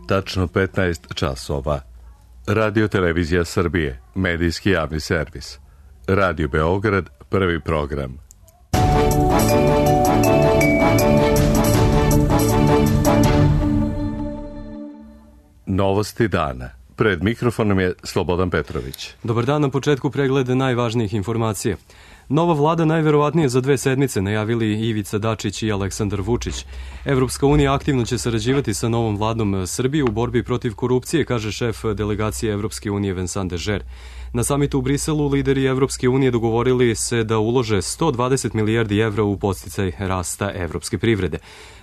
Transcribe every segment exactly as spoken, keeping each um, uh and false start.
tačno petnaest časova. Radio Televizija Srbije, medijski javni servis. Radio Beograd, prvi program. Novosti dana. Pred mikrofonom je Slobodan Petrović. Dobar dan, na početku pregleda najvažnijih informacija. Nova vlada najverovatnije za dve sedmice najavili Ivica Dačić i Aleksandar Vučić. Evropska unija aktivno će sarađivati sa novom vladom Srbije u borbi protiv korupcije, kaže šef delegacije Evropske unije Vincent Dežer. Na samitu u Briselu lideri Evropske unije dogovorili se da ulože sto dvadeset milijardi evra u podsticaj rasta evropske privrede.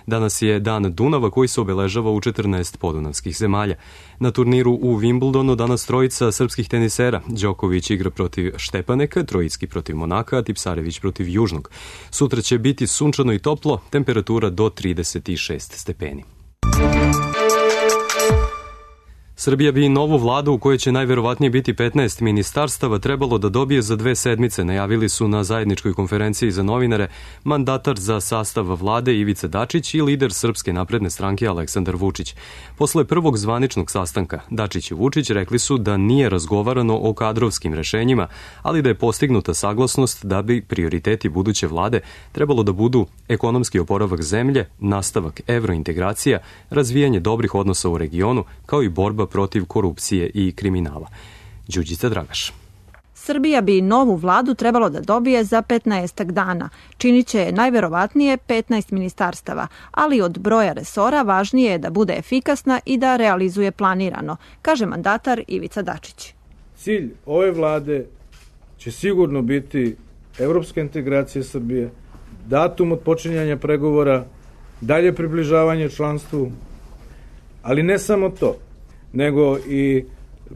Danas je dan Dunava koji se obeležava u četrnaest podunavskih zemalja. Na turniru u Wimbledonu danas trojica srpskih tenisera. Đoković igra protiv Štepaneka, Trojicki protiv Monaka, a Tipsarević protiv Južnog. Sutra će biti sunčano i toplo, temperatura do trideset šest stepeni. Srbija bi novu vladu u kojoj će najverovatnije biti petnaest ministarstava trebalo da dobije za dve sedmice, najavili su na zajedničkoj konferenciji za novinare mandatar za sastav vlade Ivica Dačić i lider Srpske napredne stranke Aleksandar Vučić. Posle prvog zvaničnog sastanka, Dačić i Vučić rekli su da nije razgovarano o kadrovskim rešenjima, ali da je postignuta saglasnost da bi prioriteti buduće vlade trebalo da budu ekonomski oporavak zemlje, nastavak evrointegracija, razvijanje dobrih odnosa u regionu, kao i borba protiv korupcije i kriminala. Đurđica Dragaš. Srbija bi novu vladu trebalo da dobije za petnaestak dana. Činit će najverovatnije petnaest ministarstava, ali od broja resora važnije je da bude efikasna i da realizuje planirano, kaže mandatar Ivica Dačić. Cilj ove vlade će sigurno biti evropska integracija Srbije, datum od počinjanja pregovora, dalje približavanje članstvu, ali ne samo to, nego i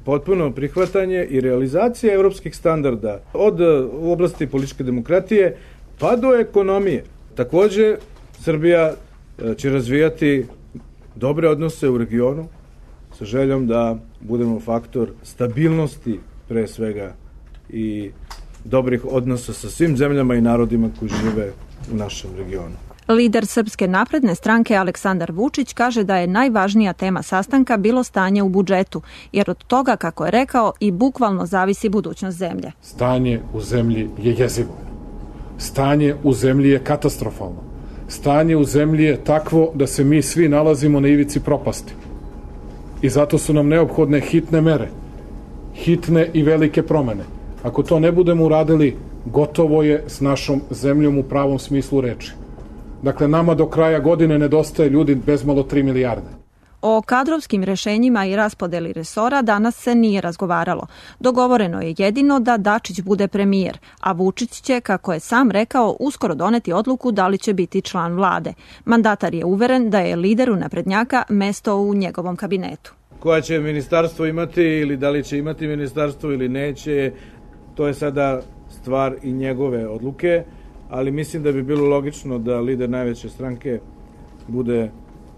potpuno prihvatanje i realizacija evropskih standarda od u oblasti političke demokratije pa do ekonomije. Takođe, Srbija će razvijati dobre odnose u regionu sa željom da budemo faktor stabilnosti pre svega i dobrih odnosa sa svim zemljama i narodima koji žive u našem regionu. Lider Srpske napredne stranke Aleksandar Vučić kaže da je najvažnija tema sastanka bilo stanje u budžetu, jer od toga, kako je rekao, i bukvalno zavisi budućnost zemlje. Stanje u zemlji je jezivo. Stanje u zemlji je katastrofalno. Stanje u zemlji je takvo da se mi svi nalazimo na ivici propasti. I zato su nam neophodne hitne mere, hitne i velike promene. Ako to ne budemo uradili, gotovo je s našom zemljom u pravom smislu reči. Dakle, nama do kraja godine nedostaje ljudi bezmalo tri milijarde. O kadrovskim rešenjima i raspodeli resora danas se nije razgovaralo. Dogovoreno je jedino da Dačić bude premijer, a Vučić će, kako je sam rekao, uskoro doneti odluku da li će biti član vlade. Mandatar je uveren da je lideru naprednjaka mesto u njegovom kabinetu. Koja će ministarstvo imati ili da li će imati ministarstvo ili neće, to je sada stvar i njegove odluke. Ali mislim da bi bilo logično da lider najveće stranke bude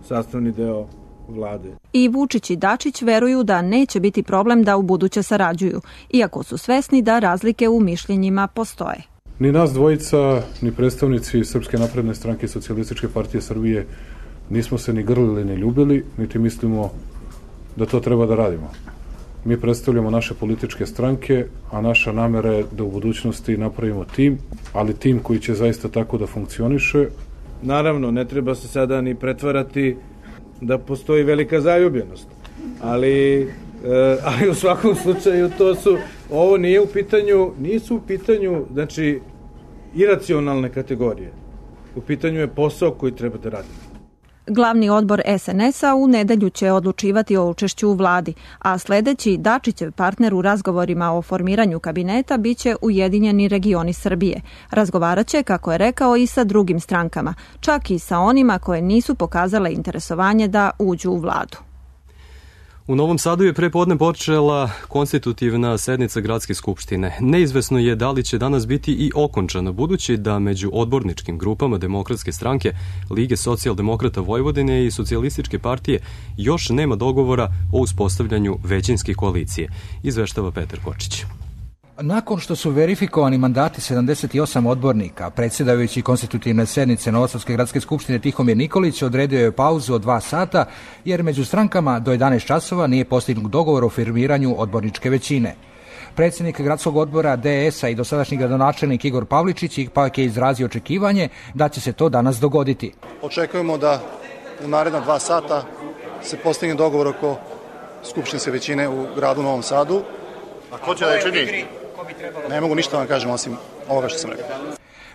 sastavni deo vlade. I Vučić i Dačić veruju da neće biti problem da u buduće sarađuju, iako su svesni da razlike u mišljenjima postoje. Ni nas dvojica, ni predstavnici Srpske napredne stranke i Socijalističke partije Srbije nismo se ni grlili ni ljubili, niti mislimo da to treba da radimo. Mi predstavljamo naše političke stranke, a naša namera je da u budućnosti napravimo tim, ali tim koji će zaista tako da funkcioniše. Naravno, ne treba se sada ni pretvarati da postoji velika zaljubljenost, ali, e, ali u svakom slučaju to su, ovo nije u pitanju, nisu u pitanju, znači, iracionalne kategorije. U pitanju je posao koji treba da radimo. Glavni odbor es en es-a u nedelju će odlučivati o učešću u vladi, a sledeći Dačićev partner u razgovorima o formiranju kabineta biće Ujedinjeni regioni Srbije. Razgovaraće, kako je rekao, i sa drugim strankama, čak i sa onima koje nisu pokazale interesovanje da uđu u vladu. U Novom Sadu je prepodne počela konstitutivna sednica Gradske skupštine. Neizvesno je da li će danas biti i okončana, budući da među odborničkim grupama Demokratske stranke, Lige socijaldemokrata Vojvodine i Socijalističke partije još nema dogovora o uspostavljanju većinske koalicije, izveštava Petar Kočić. Nakon što su verifikovani mandati sedamdeset osam odbornika, predsjedavajući konstitutivne sednice Novosadske gradske skupštine Tihomir Nikolić odredio je pauzu od dva sata, jer među strankama do jedanaest časova nije postignut dogovor o formiranju odborničke većine. Predsjednik gradskog odbora D S a i dosadašnji gradonačelnik Igor Pavličić ipak je izrazio očekivanje da će se to danas dogoditi. Očekujemo da u naredna dva sata se postigne dogovor oko skupštinske većine u gradu Novom Sadu. A ko će da je čini? Ne mogu ništa vam kažem osim ovoga što sam rekao.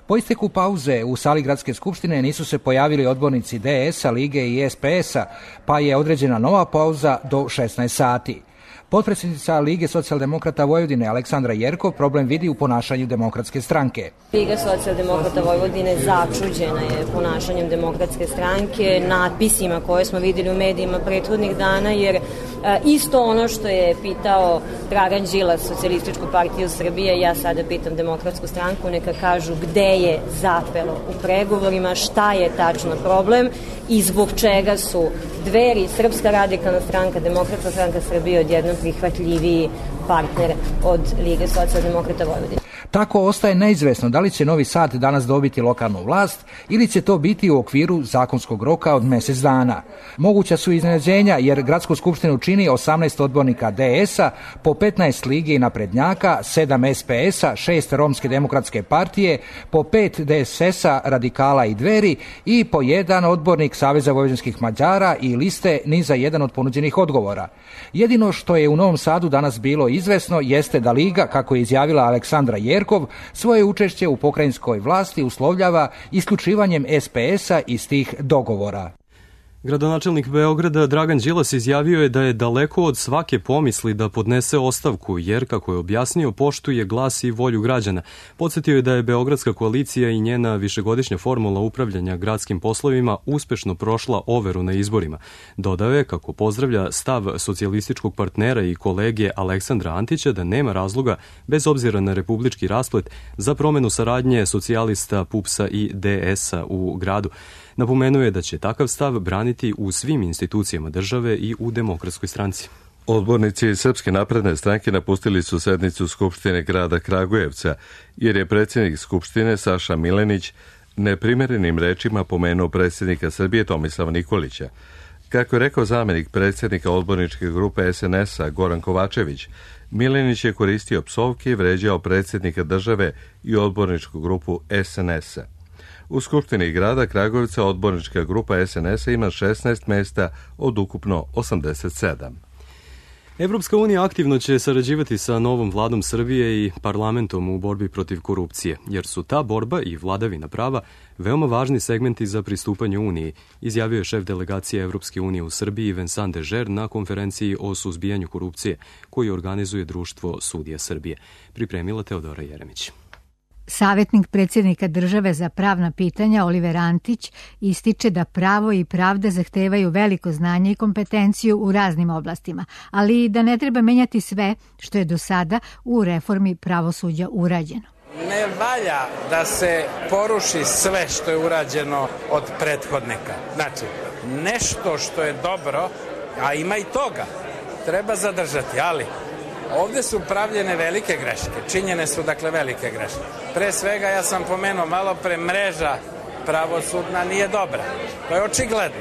Po isteku pauze u sali gradske skupštine nisu se pojavili odbornici D S a, Lige i S P S a, pa je određena nova pauza do šesnaest sati. Potpredsjednica Lige socijaldemokrata Vojvodine Aleksandra Jerkov problem vidi u ponašanju Demokratske stranke. Liga socijaldemokrata Vojvodine začuđena je ponašanjem Demokratske stranke, natpisima koje smo vidjeli u medijima prethodnih dana, jer isto ono što je pitao Dragan Đilas, Socijalističku partiju Srbije, ja sada pitam Demokratsku stranku, neka kažu gde je zapelo u pregovorima, šta je tačno problem i zbog čega su Dveri, Srpska radikalna stranka, Demokratska stranka Srbije odjednom prihvatljiviji partner od Lige socijaldemokrata Vojvodine. Tako ostaje neizvesno da li će Novi Sad danas dobiti lokalnu vlast ili će to biti u okviru zakonskog roka od mjesec dana. Moguća su iznenađenja jer gradsku skupštinu čini osamnaest odbornika D S a, po petnaest Lige i naprednjaka, sedam S P S a, šest Romske demokratske partije, po pet D S S a, Radikala i Dveri i po jedan odbornik Saveza vojvođanskih Mađara i liste ni za jedan od ponuđenih odgovora. Jedino što je u Novom Sadu danas bilo izvesno jeste da Liga, kako je izjavila Aleksandra Jerkov, svoje učešće u pokrajinskoj vlasti uslovljava isključivanjem S P S a iz tih dogovora. Gradonačelnik Beograda Dragan Đilas izjavio je da je daleko od svake pomisli da podnese ostavku, jer, kako je objasnio, poštuje glas i volju građana. Podsjetio je da je Beogradska koalicija i njena višegodišnja formula upravljanja gradskim poslovima uspešno prošla overu na izborima. Dodao je kako pozdravlja stav socijalističkog partnera i kolege Aleksandra Antića da nema razloga, bez obzira na republički rasplet, za promenu saradnje socijalista, P U P S a i D S a u gradu. Napomenuo je da će takav stav braniti u svim institucijama države i u Demokratskoj stranci. Odbornici Srpske napredne stranke napustili su sednicu Skupštine grada Kragujevca, jer je predsjednik Skupštine Saša Milenić neprimerenim rečima pomenuo predsjednika Srbije Tomislava Nikolića. Kako je rekao zamjenik predsjednika odborničke grupe S N S a Goran Kovačević, Milenić je koristio psovke i vređao predsjednika države i odborničku grupu S N S a. U Skupštini grada Kragujevca odbornička grupa S N S a ima šesnaest mjesta od ukupno osamdeset sedam. Evropska unija aktivno će sarađivati sa novom vladom Srbije i parlamentom u borbi protiv korupcije, jer su ta borba i vladavina prava veoma važni segmenti za pristupanje Uniji, izjavio je šef delegacije Evropske unije u Srbiji Vincent Dežer na konferenciji o suzbijanju korupcije koju organizuje Društvo sudija Srbije. Pripremila Teodora Jeremić. Savjetnik predsjednika države za pravna pitanja Oliver Antić ističe da pravo i pravda zahtevaju veliko znanje i kompetenciju u raznim oblastima, ali i da ne treba menjati sve što je do sada u reformi pravosuđa urađeno. Ne valja da se poruši sve što je urađeno od prethodnika. Znači, nešto što je dobro, a ima i toga, treba zadržati, ali ovdje su pravljene velike greške, činjene su dakle velike greške. Pre svega, ja sam pomenuo malo pre, mreža pravosudna nije dobra. To je očigledno.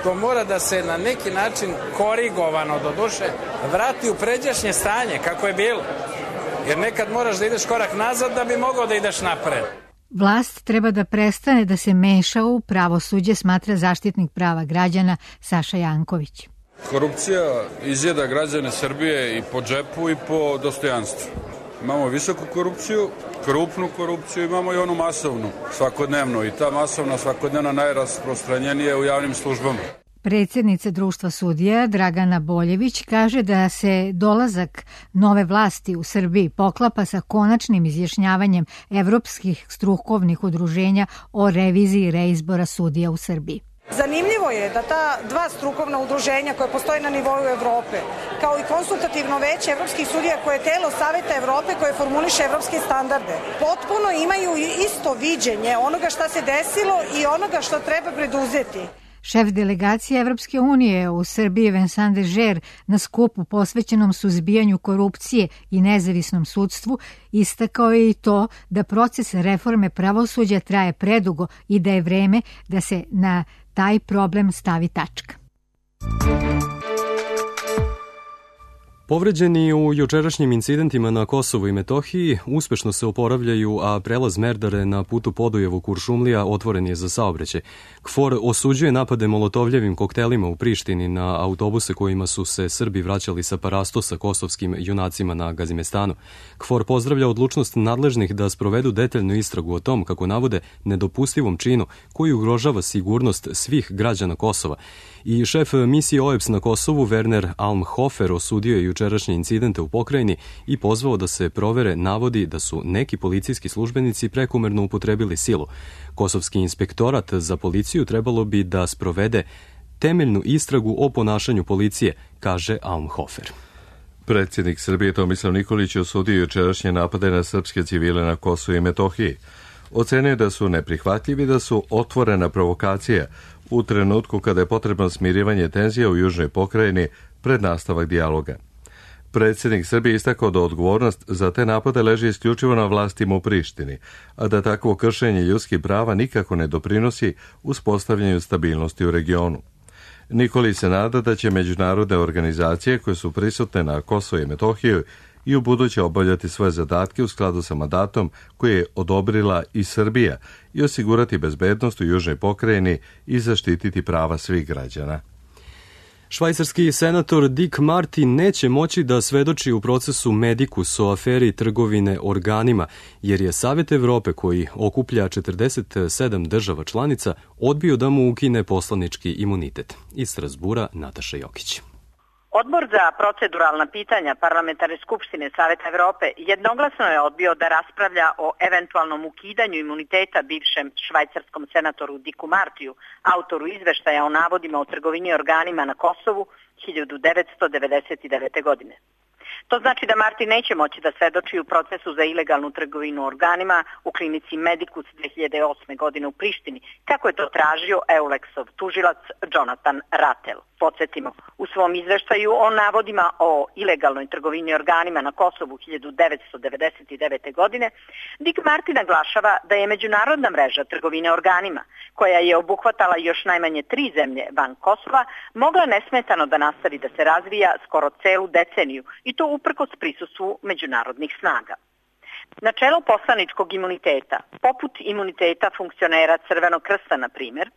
To mora da se na neki način korigovano, do duše, vrati u pređašnje stanje kako je bilo. Jer nekad moraš da ideš korak nazad da bi mogao da ideš napred. Vlast treba da prestane da se meša u pravosuđe, smatra zaštitnik prava građana Saša Janković. Korupcija izjeda građane Srbije i po džepu i po dostojanstvu. Imamo visoku korupciju, krupnu korupciju, imamo i onu masovnu, svakodnevnu. I ta masovna svakodnevna najrasprostranjenija je u javnim službama. Predsjednica Društva sudija Dragana Boljević kaže da se dolazak nove vlasti u Srbiji poklapa sa konačnim izjašnjavanjem evropskih strukovnih udruženja o reviziji reizbora sudija u Srbiji. Zanimljivo je da ta dva strukovna udruženja koje postoje na nivou Evrope, kao i konsultativno veće evropskih sudija koje je telo Saveta Evrope koje formuliše evropske standarde, potpuno imaju isto viđenje onoga šta se desilo i onoga što treba preduzeti. Šef delegacije Evropske unije u Srbiji Vincent Dežer na skupu posvećenom suzbijanju korupcije i nezavisnom sudstvu istakao je i to da proces reforme pravosuđa traje predugo i da je vreme da se na taj problem stavi tačka. Povređeni u jučerašnjim incidentima na Kosovu i Metohiji uspešno se oporavljaju, a prelaz Merdare na putu Podujevo-Kuršumlija otvoren je za saobraćaj. KFOR osuđuje napade molotovljevim koktelima u Prištini na autobuse kojima su se Srbi vraćali sa Parastosa kosovskim junacima na Gazimestanu. KFOR pozdravlja odlučnost nadležnih da sprovedu detaljnu istragu o tom, kako navode, nedopustivom činu koji ugrožava sigurnost svih građana Kosova. I šef misije O E B S na Kosovu, Werner Almhofer, osudio je jučerašnje incidente u pokrajini i pozvao da se provere navodi da su neki policijski službenici prekomerno upotrebili silu. Kosovski inspektorat za policiju trebalo bi da sprovede temeljnu istragu o ponašanju policije, kaže Almhofer. Predsjednik Srbije Tomislav Nikolić osudio jučerašnje napade na srpske civile na Kosovu i Metohiji. Ocenio da su neprihvatljivi, da su otvorena provokacija u trenutku kada je potrebno smirivanje tenzija u južnoj pokrajini pred nastavak dijaloga. Predsjednik Srbije istakao da odgovornost za te napade leži isključivo na vlastima u Prištini, a da takvo kršenje ljudskih prava nikako ne doprinosi uspostavljanju stabilnosti u regionu. Nikolić se nada da će međunarodne organizacije koje su prisutne na Kosovu i Metohiju i u buduće obavljati svoje zadatke u skladu sa mandatom koje je odobrila i Srbija i osigurati bezbednost u južnoj pokrajini i zaštititi prava svih građana. Švajcarski senator Dick Marty neće moći da svedoči u procesu Medicus o aferi trgovine organima, jer je Savet Evrope, koji okuplja četrdeset sedam država članica, odbio da mu ukine poslanički imunitet. Iz Strasbura Nataša Jokić. Odbor za proceduralna pitanja Parlamentarne skupštine Saveta Evrope jednoglasno je odbio da raspravlja o eventualnom ukidanju imuniteta bivšem švajcarskom senatoru Dicku Martiju, autoru izveštaja o navodima o trgovini organima na Kosovu hiljadu devetsto devedeset devete. godine. To znači da Marti neće moći da svedoči u procesu za ilegalnu trgovinu organima u klinici Medicus dve hiljade osme. godine u Prištini, kako je to tražio Eulexov tužilac Jonathan Rattel. Podsjetimo, u svom izveštaju o navodima o ilegalnoj trgovini organima na Kosovu hiljadu devetsto devedeset devete. godine, Dick Marty naglašava da je međunarodna mreža trgovine organima, koja je obuhvatala još najmanje tri zemlje van Kosova, mogla nesmetano da nastavi da se razvija skoro celu deceniju, i to uprkos prisustvu međunarodnih snaga. Načelo poslaničkog imuniteta, poput imuniteta funkcionera Crvenog krsta, na primjer,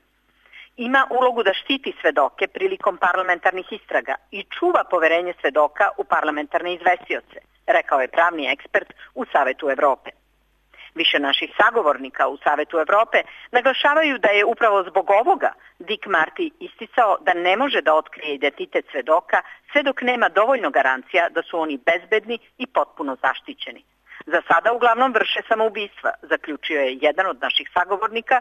ima ulogu da štiti svedoke prilikom parlamentarnih istraga i čuva poverenje svedoka u parlamentarne izvestioce, rekao je pravni ekspert u Savetu Evrope. Više naših sagovornika u Savetu Evrope naglašavaju da je upravo zbog ovoga Dick Marty isticao da ne može da otkrije identitet svedoka sve dok nema dovoljno garancija da su oni bezbedni i potpuno zaštićeni. Za sada uglavnom vrše samoubistva, zaključio je jedan od naših sagovornika,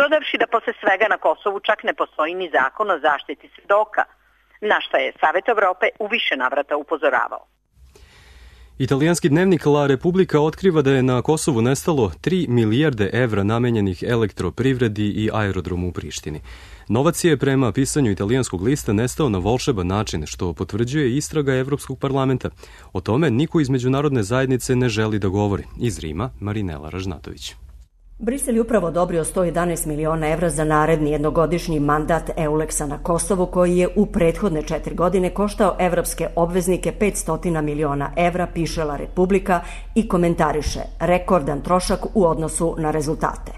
dodavši da posle svega na Kosovu čak ne postoji ni zakon o zaštiti svedoka, na šta je Savet Evrope u više navrata upozoravao. Italijanski dnevnik La Repubblica otkriva da je na Kosovu nestalo tri milijarde evra namenjenih elektroprivredi i aerodromu u Prištini. Novac je, prema pisanju italijanskog lista, nestao na volšeban način, što potvrđuje istraga Evropskog parlamenta. O tome niko iz međunarodne zajednice ne želi da govori. Iz Rima, Marinela Ražnatović. Brisel je upravo odobrio sto jedanaest miliona evra za naredni jednogodišnji mandat Eulexa na Kosovu, koji je u prethodne četiri godine koštao evropske obveznike petsto miliona evra, piše La Repubblica i komentariše rekordan trošak u odnosu na rezultate.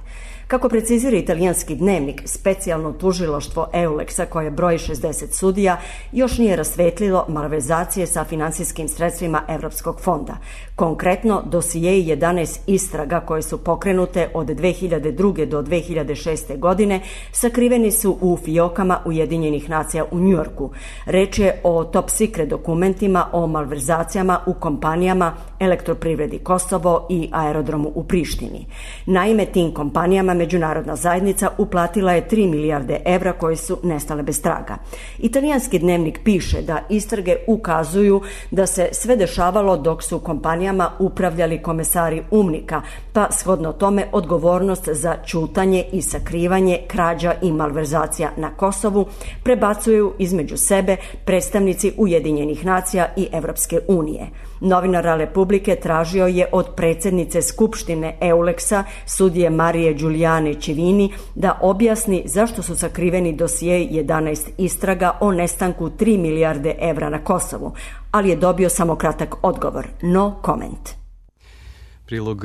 Kako precizira italijanski dnevnik, specijalno tužilaštvo Eulexa, koje broji šezdeset sudija, još nije rasvetlilo malverzacije sa finansijskim sredstvima Evropskog fonda. Konkretno, dosijeji jedanaest istraga koje su pokrenute od dve hiljade druge. do dve hiljade šeste. godine sakriveni su u fijokama Ujedinjenih nacija u Njujorku. Reč je o top secret dokumentima o malverzacijama u kompanijama Elektroprivredi Kosovo i aerodromu u Prištini. Naime, tim kompanijama međunarodna zajednica uplatila je tri milijarde evra koje su nestale bez traga. Italijanski dnevnik piše da istrage ukazuju da se sve dešavalo dok su kompanijama upravljali komesari UNMIK-a, pa shodno tome odgovornost za ćutanje i sakrivanje krađa i malverzacija na Kosovu prebacuju između sebe predstavnici Ujedinjenih nacija i Evropske unije. Novinar Republike tražio je od predsjednice Skupštine Euleksa, sudije Marije Giuliane Civini, da objasni zašto su sakriveni dosije jedanaest istraga o nestanku tri milijarde evra na Kosovu, ali je dobio samo kratak odgovor, no comment. Prilog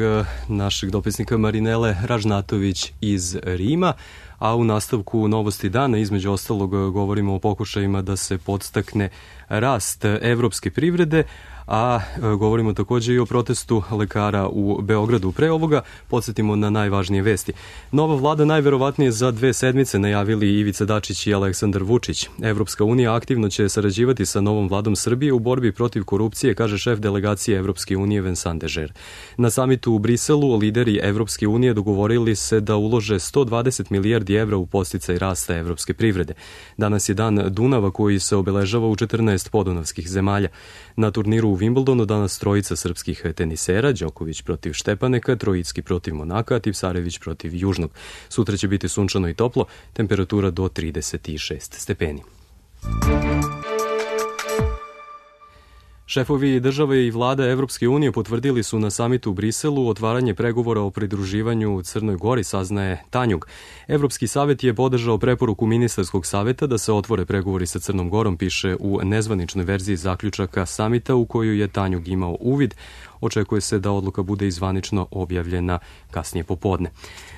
našeg dopisnika Marinele Ražnatović iz Rima, a u nastavku Novosti dana između ostalog govorimo o pokušajima da se podstakne rast evropske privrede, a govorimo također i o protestu lekara u Beogradu. Pre ovoga podsjetimo na najvažnije vesti. Nova vlada najverovatnije za dve sedmice najavili Ivica Dačić i Aleksandar Vučić. Evropska unija aktivno će sarađivati sa novom vladom Srbije u borbi protiv korupcije, kaže šef delegacije Evropske unije Vincent Dežer. Na samitu u Briselu lideri Evropske unije dogovorili se da ulože sto dvadeset milijardi evra u podsticaj rasta evropske privrede. Danas je dan Dunava koji se obeležava u četrnaest podunavskih zemalja. Na turniru u Wimbledonu danas trojica srpskih tenisera, Đoković protiv Štepaneka, Trojicki protiv Monaka, Tipsarević protiv Južnog. Sutra će biti sunčano i toplo, temperatura do trideset šest stepeni. Šefovi države i vlada Evropske unije potvrdili su na samitu u Briselu otvaranje pregovora o pridruživanju Crnoj Gori, saznaje Tanjug. Evropski savet je podržao preporuku ministarskog saveta da se otvore pregovori sa Crnom Gorom, piše u nezvaničnoj verziji zaključaka samita u koju je Tanjug imao uvid. Očekuje se da odluka bude izvanično objavljena kasnije popodne.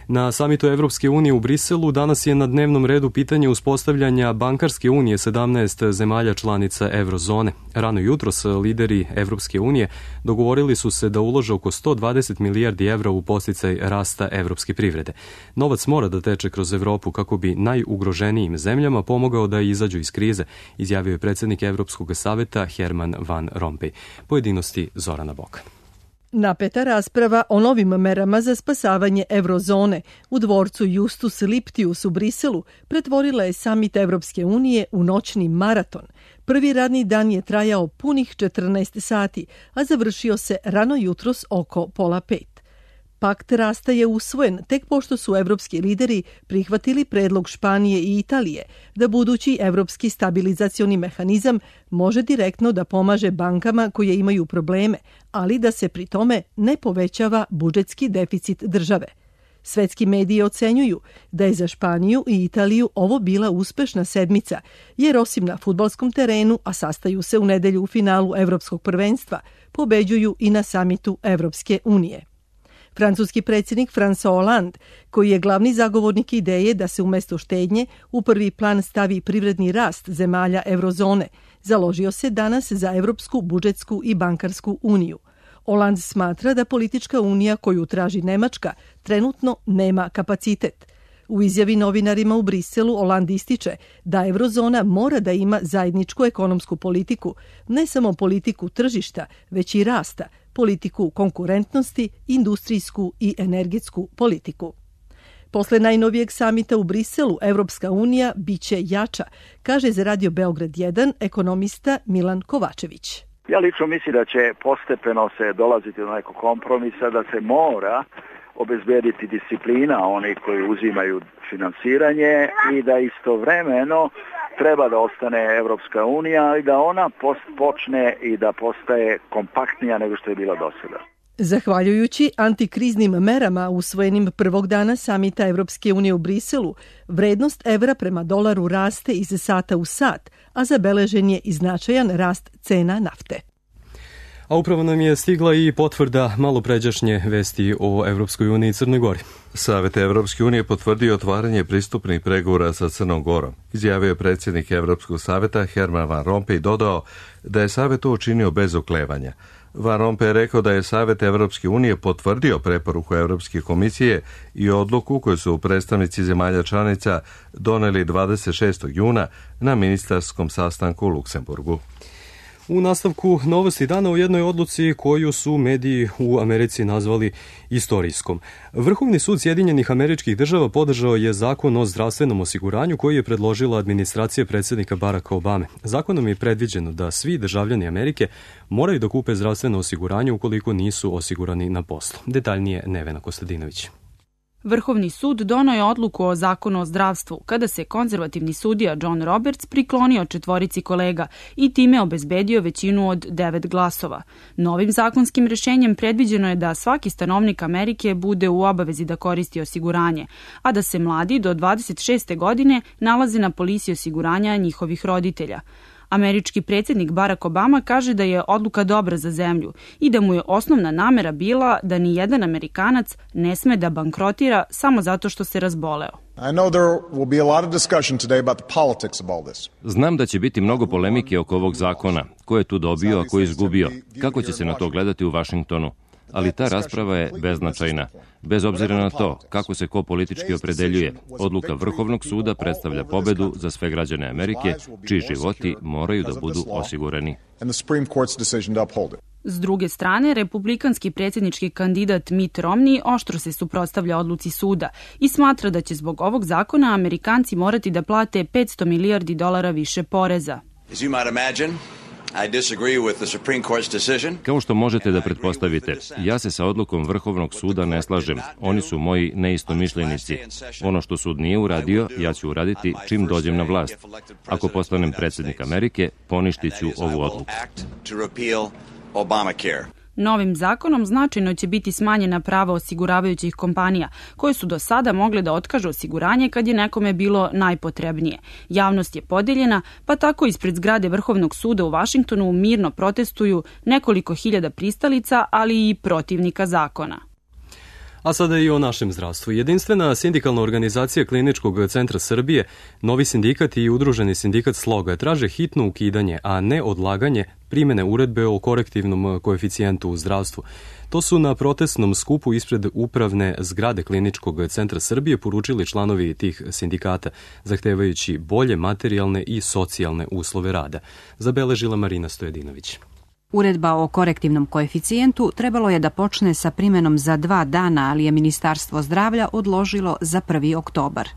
Na samitu Evropske unije u Briselu danas je na dnevnom redu pitanje uspostavljanja bankarske unije sedamnaest zemalja članica eurozone. Rano jutros lideri Evropske unije dogovorili su se da ulože oko sto dvadeset milijardi evra u podsticaj rasta evropske privrede. Novac mora da teče kroz Evropu kako bi najugroženijim zemljama pomogao da izađu iz krize, izjavio je predsjednik Evropskog saveta Herman Van Rompuy. Pojedinosti Zorana Boka. Napeta rasprava o novim merama za spasavanje eurozone u dvorcu Justus Liptius u Briselu pretvorila je samit Evropske unije u noćni maraton. Prvi radni dan je trajao punih četrnaest sati, a završio se rano jutros oko pola pet. Pakt rasta je usvojen tek pošto su evropski lideri prihvatili predlog Španije i Italije da budući evropski stabilizacioni mehanizam može direktno da pomaže bankama koje imaju probleme, ali da se pri tome ne povećava budžetski deficit države. Svetski mediji ocenjuju da je za Španiju i Italiju ovo bila uspešna sedmica, jer osim na fudbalskom terenu, a sastaju se u nedelju u finalu Evropskog prvenstva, pobeđuju i na samitu Evropske unije. Francuski predsjednik François Hollande, koji je glavni zagovornik ideje da se umjesto štednje u prvi plan stavi privredni rast zemalja eurozone, založio se danas za Evropsku budžetsku i bankarsku uniju. Hollande smatra da politička unija koju traži Nemačka trenutno nema kapacitet. U izjavi novinarima u Briselu Hollande ističe da eurozona mora da ima zajedničku ekonomsku politiku, ne samo politiku tržišta, već i rasta, politiku konkurentnosti, industrijsku i energetsku politiku. Posle najnovijeg samita u Briselu, Evropska unija biće jača, kaže za Radio Beograd jedan ekonomista Milan Kovačević. Ja lično mislim da će postepeno se dolaziti do nekog kompromisa, da se mora obezbediti disciplina onih koji uzimaju finansiranje i da istovremeno treba da ostane Evropska unija i da ona počne i da postaje kompaktnija nego što je bila do sada. Zahvaljujući antikriznim merama usvojenim prvog dana samita Evropske unije u Briselu, vrednost evra prema dolaru raste iz sata u sat, a zabeležen je i značajan rast cena nafte. A upravo nam je stigla i potvrda malopređašnje vesti o Evropskoj uniji i Crnoj Gori. Savet Evropske unije potvrdio otvaranje pristupnih pregovora sa Crnom Gorom. Izjavio je predsjednik Evropskog saveta Herman Van Rompuy i dodao da je savet to učinio bez oklevanja. Van Rompuy je rekao da je Savet Evropske unije potvrdio preporuku Evropske komisije i odluku koju su predstavnici zemalja članica doneli dvadeset šestog juna na ministarskom sastanku u Luksemburgu. U nastavku novosti dana u jednoj odluci koju su mediji u Americi nazvali istorijskom. Vrhovni sud Sjedinjenih Američkih Država podržao je zakon o zdravstvenom osiguranju koji je predložila administracija predsjednika Baracka Obame. Zakonom je predviđeno da svi državljani Amerike moraju da kupe zdravstveno osiguranje ukoliko nisu osigurani na poslu. Detaljnije Nevena Kostadinović. Vrhovni sud doneo je odluku o zakonu o zdravstvu kada se konzervativni sudija John Roberts priklonio četvorici kolega i time obezbedio većinu od devet glasova. Novim zakonskim rešenjem predviđeno je da svaki stanovnik Amerike bude u obavezi da koristi osiguranje, a da se mladi do dvadeset šeste godine nalaze na polisi osiguranja njihovih roditelja. Američki predsjednik Barack Obama kaže da je odluka dobra za zemlju i da mu je osnovna namera bila da ni jedan Amerikanac ne sme da bankrotira samo zato što se razboleo. Znam da će biti mnogo polemike oko ovog zakona. Ko je tu dobio, a ko je izgubio? Kako će se na to gledati u Vašingtonu? Ali ta rasprava je beznačajna. Bez obzira na to kako se ko politički opredeljuje, odluka Vrhovnog suda predstavlja pobedu za sve građane Amerike, čiji životi moraju da budu osigurani. S druge strane, republikanski predsjednički kandidat Mitt Romney oštro se suprotstavlja odluci suda i smatra da će zbog ovog zakona Amerikanci morati da plate petsto milijardi dolara više poreza. Kao što možete da pretpostavite, ja se sa odlukom Vrhovnog suda ne slažem. Oni su moji neistomišljenici. Ono što sud nije uradio, ja ću uraditi čim dođem na vlast. Ako postanem predsjednik Amerike, poništit ću ovu odluku. Novim zakonom značajno će biti smanjena prava osiguravajućih kompanija, koje su do sada mogle da otkažu osiguranje kad je nekome bilo najpotrebnije. Javnost je podeljena, pa tako ispred zgrade Vrhovnog suda u Vašingtonu mirno protestuju nekoliko hiljada pristalica, ali i protivnika zakona. A sada i o našem zdravstvu. Jedinstvena sindikalna organizacija Kliničkog centra Srbije, Novi sindikat i Udruženi sindikat Sloga traže hitno ukidanje, a ne odlaganje primene uredbe o korektivnom koeficijentu u zdravstvu. To su na protestnom skupu ispred upravne zgrade Kliničkog centra Srbije poručili članovi tih sindikata, zahtevajući bolje materijalne i socijalne uslove rada. Zabeležila Marina Stojedinović. Uredba o korektivnom koeficijentu trebalo je da počne sa primenom za dva dana, ali je Ministarstvo zdravlja odložilo za prvi oktobar.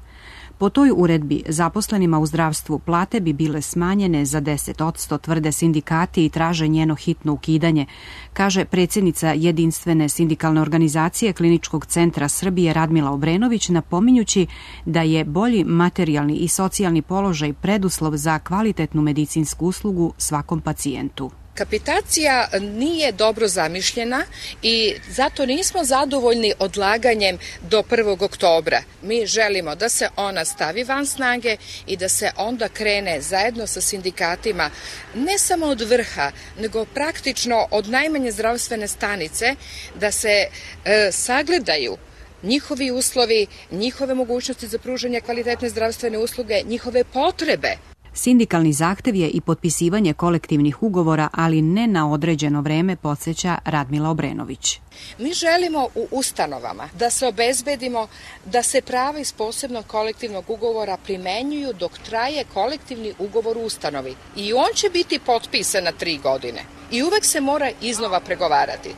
Po toj uredbi zaposlenima u zdravstvu plate bi bile smanjene za deset odsto, tvrde sindikati i traže njeno hitno ukidanje, kaže predsjednica Jedinstvene sindikalne organizacije Kliničkog centra Srbije Radmila Obrenović, napominjući da je bolji materijalni i socijalni položaj preduslov za kvalitetnu medicinsku uslugu svakom pacijentu. Kapitacija nije dobro zamišljena i zato nismo zadovoljni odlaganjem do prvog oktobra. Mi želimo da se ona stavi van snage i da se onda krene zajedno sa sindikatima ne samo od vrha, nego praktično od najmanje zdravstvene stanice da se e, sagledaju njihovi uslovi, njihove mogućnosti za pružanje kvalitetne zdravstvene usluge, njihove potrebe. Sindikalni zahtev je i potpisivanje kolektivnih ugovora, ali ne na određeno vreme, podsjeća Radmila Obrenović. Mi želimo u ustanovama da se obezbedimo da se prava iz posebnog kolektivnog ugovora primenjuju dok traje kolektivni ugovor u ustanovi. I on će biti potpisan na tri godine. I uvek se mora iznova pregovarati.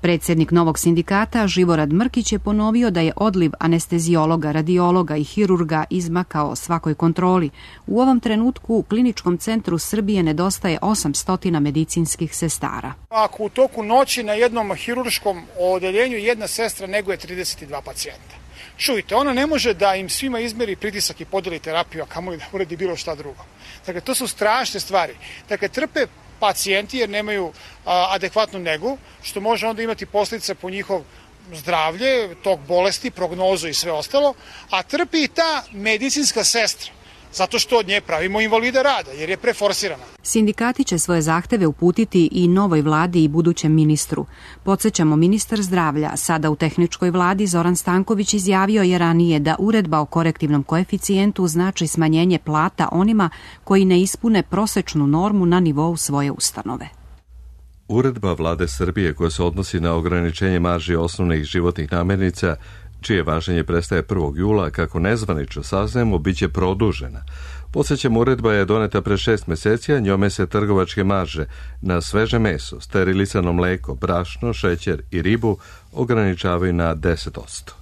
Predsjednik novog sindikata Živorad Mrkić je ponovio da je odliv anestezijologa, radiologa i hirurga izmakao svakoj kontroli. U ovom trenutku u Kliničkom centru Srbije nedostaje osamsto medicinskih sestara. Ako u toku noći na jednom hirurškom odeljenju jedna sestra neguje trideset dva pacijenta. Čujte, ona ne može da im svima izmeri pritisak i podeli terapiju, a kamoli da uredi bilo šta drugo. Dakle, to su strašne stvari. Dakle, trpe pacijenti jer nemaju a, adekvatnu negu, što može onda imati posljedice po njihov zdravlje, tok bolesti, prognozu i sve ostalo, a trpi i ta medicinska sestra, zato što od nje pravimo invalida rada, jer je preforsirana. Sindikati će svoje zahteve uputiti i novoj vladi i budućem ministru. Podsjećamo, ministar zdravlja, sada u tehničkoj vladi, Zoran Stanković, izjavio je ranije da uredba o korektivnom koeficijentu znači smanjenje plata onima koji ne ispune prosečnu normu na nivou svoje ustanove. Uredba vlade Srbije koja se odnosi na ograničenje marži osnovnih životnih namirnica čije važenje prestaje prvog jula, kako nezvanično saznajemo, bit će produžena. Podsjećam, uredba je doneta pre šest meseci, a njome se trgovačke marže na sveže meso, sterilisano mleko, brašno, šećer i ribu ograničavaju na deset posto.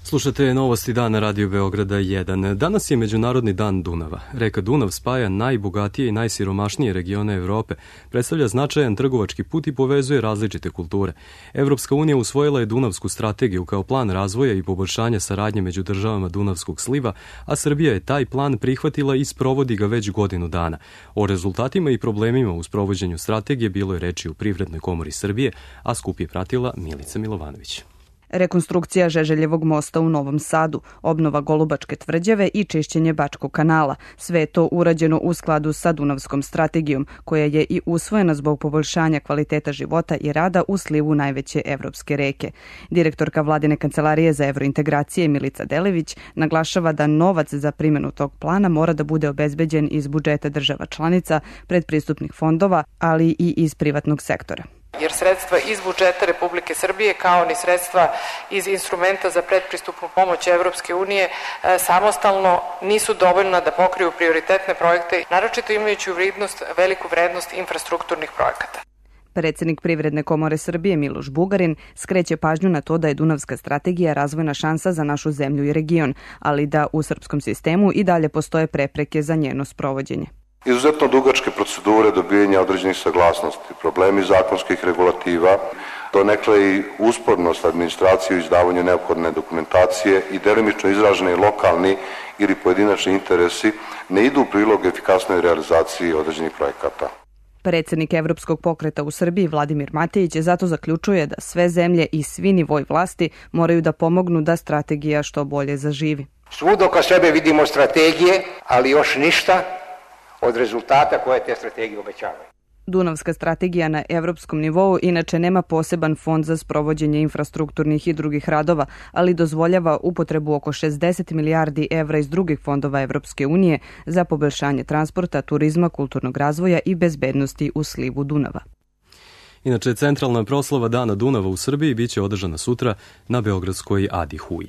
Slušate Novosti dana Radio Beograda jedan. Danas je Međunarodni dan Dunava. Reka Dunav spaja najbogatije i najsiromašnije regione Evrope, predstavlja značajan trgovački put i povezuje različite kulture. Evropska unija usvojila je Dunavsku strategiju kao plan razvoja i poboljšanja saradnje među državama Dunavskog sliva, a Srbija je taj plan prihvatila i sprovodi ga već godinu dana. O rezultatima i problemima u sprovođenju strategije bilo je reči u Privrednoj komori Srbije, a skup je pratila Milica Milovanović. Rekonstrukcija Žeželjevog mosta u Novom Sadu, obnova Golubačke tvrđave i čišćenje Bačkog kanala. Sve je to urađeno u skladu sa Dunavskom strategijom, koja je i usvojena zbog poboljšanja kvaliteta života i rada u slivu najveće evropske reke. Direktorka Vladine kancelarije za evrointegracije Milica Delević naglašava da novac za primjenu tog plana mora da bude obezbeđen iz budžeta država članica, predpristupnih fondova, ali i iz privatnog sektora. Jer sredstva iz budžeta Republike Srbije kao ni sredstva iz instrumenta za predpristupnu pomoć Evropske unije samostalno nisu dovoljna da pokriju prioritetne projekte, naročito imajući u vidnost veliku vrednost infrastrukturnih projekata. Predsednik Privredne komore Srbije Miloš Bugarin skreće pažnju na to da je Dunavska strategija razvojna šansa za našu zemlju i region, ali da u srpskom sistemu i dalje postoje prepreke za njeno sprovođenje. Izuzetno dugačke procedure dobijanja određenih saglasnosti, problemi zakonskih regulativa, donekle i uspornost administracije u izdavanju neophodne dokumentacije i delimično izraženi lokalni ili pojedinačni interesi ne idu u prilog efikasnoj realizaciji određenih projekata. Predsednik Evropskog pokreta u Srbiji Vladimir Matejić zato zaključuje da sve zemlje i svi nivoi vlasti moraju da pomognu da strategija što bolje zaživi. Svuda oko sebe vidimo strategije, ali još ništa od rezultata koje te strategije obećavaju. Dunavska strategija na evropskom nivou inače nema poseban fond za sprovođenje infrastrukturnih i drugih radova, ali dozvoljava upotrebu oko šezdeset milijardi evra iz drugih fondova Evropske unije za poboljšanje transporta, turizma, kulturnog razvoja i bezbednosti u slivu Dunava. Inače, centralna proslava Dana Dunava u Srbiji biće održana sutra na beogradskoj Adi Huji.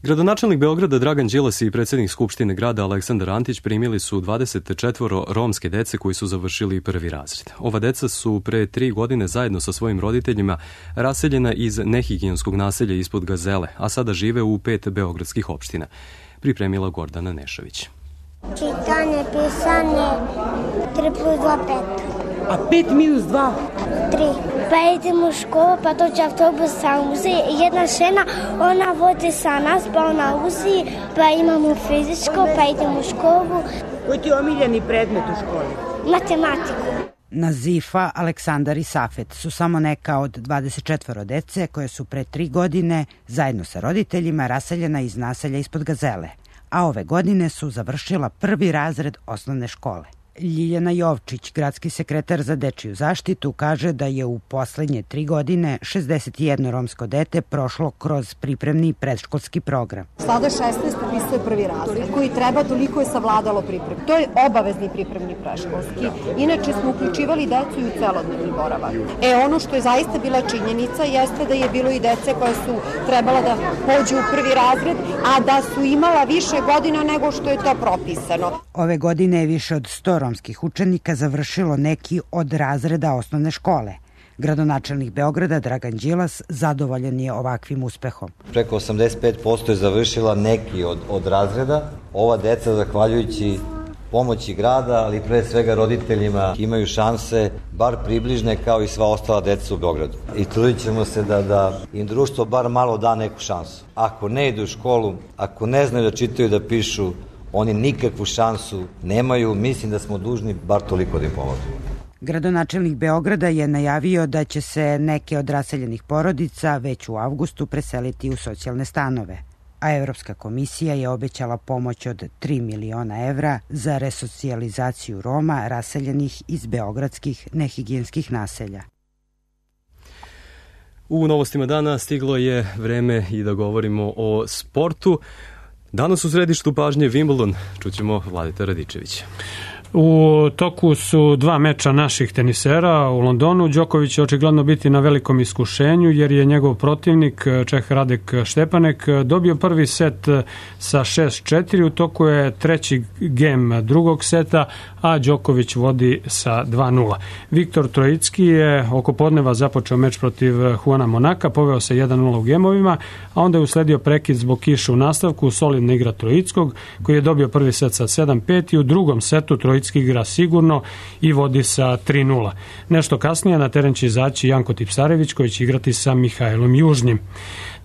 Gradonačelnik Beograda Dragan Đilas i predsjednik Skupštine grada Aleksandar Antić primili su dvadeset četvoro romske dece koji su završili prvi razred. Ova deca su pre tri godine zajedno sa svojim roditeljima raseljena iz nehigijenskog naselja ispod Gazele, a sada žive u pet beogradskih opština. Pripremila Gordana Nešović. Čitanje, pisanje, tri plus dva, pet. A pet minus dva? tri. Pa idemo u školu, pa dođe autobus sa uzi. Jedna žena, ona vodi sa nas, pa ona uzi, pa imamo fizičko, pa idemo u školu. Koji ti je omiljeni predmet u školi? Matematiku. Nazifa, Aleksandar i Safet su samo neka od dvadeset četvoro dece koje su pre tri godine zajedno sa roditeljima raseljena iz naselja ispod Gazele, a ove godine su završila prvi razred osnovne škole. Ljiljana Jovčić, gradski sekretar za dečiju zaštitu, kaže da je u poslednje tri godine šezdeset jedno romsko dete prošlo kroz pripremni predškolski program. Sada šesnaest upisuje prvi razred, koji treba, toliko je savladalo priprem. To je obavezni pripremni predškolski. Inače smo uključivali decu i u celodnevni boravak. E, ono što je zaista bila činjenica jeste da je bilo i dece koje su trebala da pođu u prvi razred, a da su imala više godina nego što je to propisano. Ove godine je više od sto romskih učenika završilo neki od razreda osnovne škole. Gradonačelnik Beograda Dragan Đilas zadovoljan je ovakvim uspehom. Preko osamdeset pet posto je završila neki od, od razreda. Ova deca, zahvaljujući pomoći grada, ali pre svega roditeljima, imaju šanse bar približne kao i sva ostala deca u Beogradu. I trudit ćemo se da, da im društvo bar malo da neku šansu. Ako ne idu u školu, ako ne znaju da čitaju, da pišu, oni nikakvu šansu nemaju. Mislim da smo dužni bar toliko da im pomožemo. Gradonačelnik Beograda je najavio da će se neke od raseljenih porodica već u avgustu preseliti u socijalne stanove, a Evropska komisija je obećala pomoć od tri miliona evra za resocijalizaciju Roma raseljenih iz beogradskih nehigijenskih naselja. U novostima dana stiglo je vreme i da govorimo o sportu. Danas u središtu pažnje Wimbledon, čućemo Vladeta Radičevića. U toku su dva meča naših tenisera u Londonu. Đoković će očigledno biti na velikom iskušenju jer je njegov protivnik Čeh Radek Štepanek dobio prvi set sa šest četiri. U toku je treći gem drugog seta, a Đoković vodi sa dva nula. Viktor Trojicki je oko podneva započeo meč protiv Juana Monaka, poveo se jedan nula u gemovima, a onda je usledio prekid zbog kiše u nastavku, solidna igra Trojickog koji je dobio prvi set sa sedam pet i u drugom setu Trojicki igra sigurno i vodi sa tri nula. Nešto kasnije na teren će izaći Janko Tipsarević koji će igrati sa Mihajlom Južnim.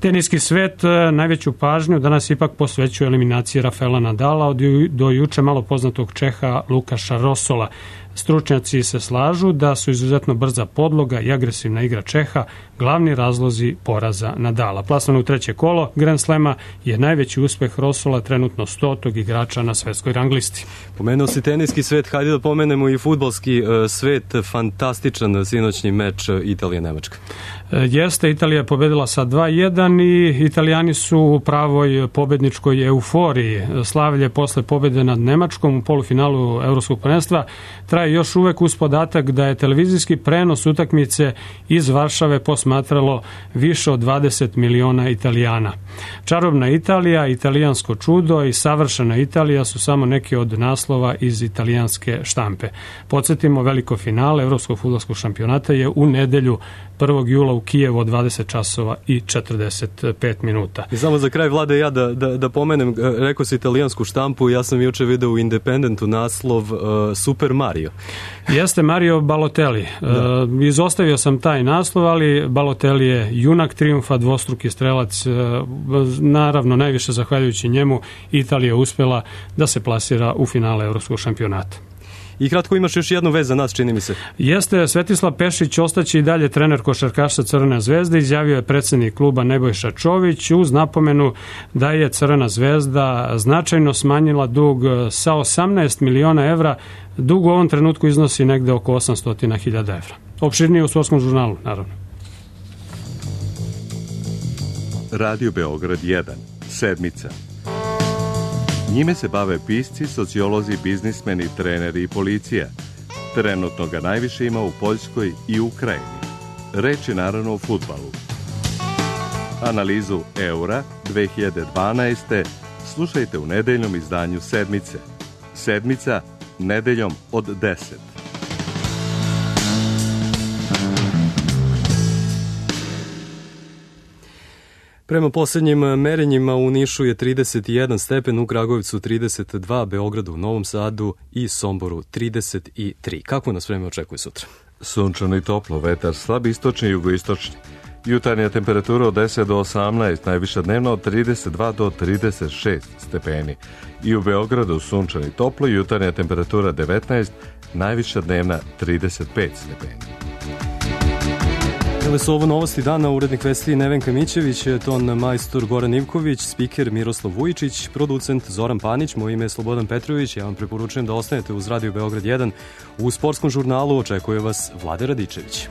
Teniski svet najveću pažnju danas ipak posvećuje eliminaciji Rafaela Nadala od do juče malo poznatog Čeha Lukaša Rosola. Stručnjaci se slažu da su izuzetno brza podloga i agresivna igra Čeha glavni razlozi poraza Nadala. Plasman u treće kolo Grand Slema je najveći uspeh Rosola, trenutno stotog igrača na svetskoj rang listi. Pomenuo si teniski svet, hajde da pomenemo i fudbalski svet, fantastičan sinoćni meč Italija-Nemačka. Jeste, Italija je pobedila sa dva jedan i Italijani su u pravoj pobedničkoj euforiji. Slavlje posle pobede nad Nemačkom u polufinalu Evropskog prvenstva traje još uvek uz podatak da je televizijski prenos utakmice iz Varšave posmatralo više od dvadeset miliona Italijana. Čarobna Italija, italijansko čudo i savršena Italija su samo neki od naslova iz italijanske štampe. Podsjetimo, veliko finale Evropskog fudbalskog šampionata je u nedelju prvog jula u Kijevu od dvadeset časova i četrdeset pet minuta. I samo za kraj, Vlade, ja da, da, da pomenem, rekao si italijansku štampu, ja sam juče video u Independentu naslov uh, Super Mario. Jeste Mario Balotelli. Uh, izostavio sam taj naslov, ali Balotelli je junak trijumfa, dvostruki strelac. Uh, naravno, najviše zahvaljujući njemu Italija uspela da se plasira u finale Evropskog šampionata. I kratko, imaš još jednu vez za nas, čini mi se. Jeste, Svetislav Pešić ostaće i dalje trener košarkaša Crvene zvezde, izjavio je predsjednik kluba Nebojša Čović uz napomenu da je Crvena zvezda značajno smanjila dug sa osamnaest miliona evra. Dug u ovom trenutku iznosi negde oko osamsto hiljada evra. Opširnije u Sportskom žurnalu, naravno. Radio Beograd jedan. Sedmica. Njime se bave pisci, sociolozi, biznismeni, treneri i policija. Trenutno ga najviše ima u Poljskoj i Ukrajini. Reč je naravno o fudbalu. Analizu eura dve hiljade dvanaeste. slušajte u nedeljnom izdanju Sedmice. Sedmica, nedeljom od deset. Prema posljednjim merenjima u Nišu je trideset jedan stepen, u Kragujevcu trideset dva, Beogradu, Novom Sadu i Somboru trideset tri. Kako nas vreme očekuje sutra? Sunčano i toplo, vetar slab istočni i jugoistočni. Jutarnja temperatura od deset do osamnaest, najviša dnevno od trideset dva do trideset šest stepeni. I u Beogradu sunčano i toplo, jutarnja temperatura devetnaest, najviša dnevna trideset pet stepeni. Bile su ovo novosti dana, urednik vesti Nevenka Mićević, ton majstor Goran Ivković, spiker Miroslav Vujičić, producent Zoran Panić, moje ime je Slobodan Petrović. Ja vam preporučujem da ostanete uz Radio Beograd jedan. U Sportskom žurnalu očekuje vas Vlade Radičević.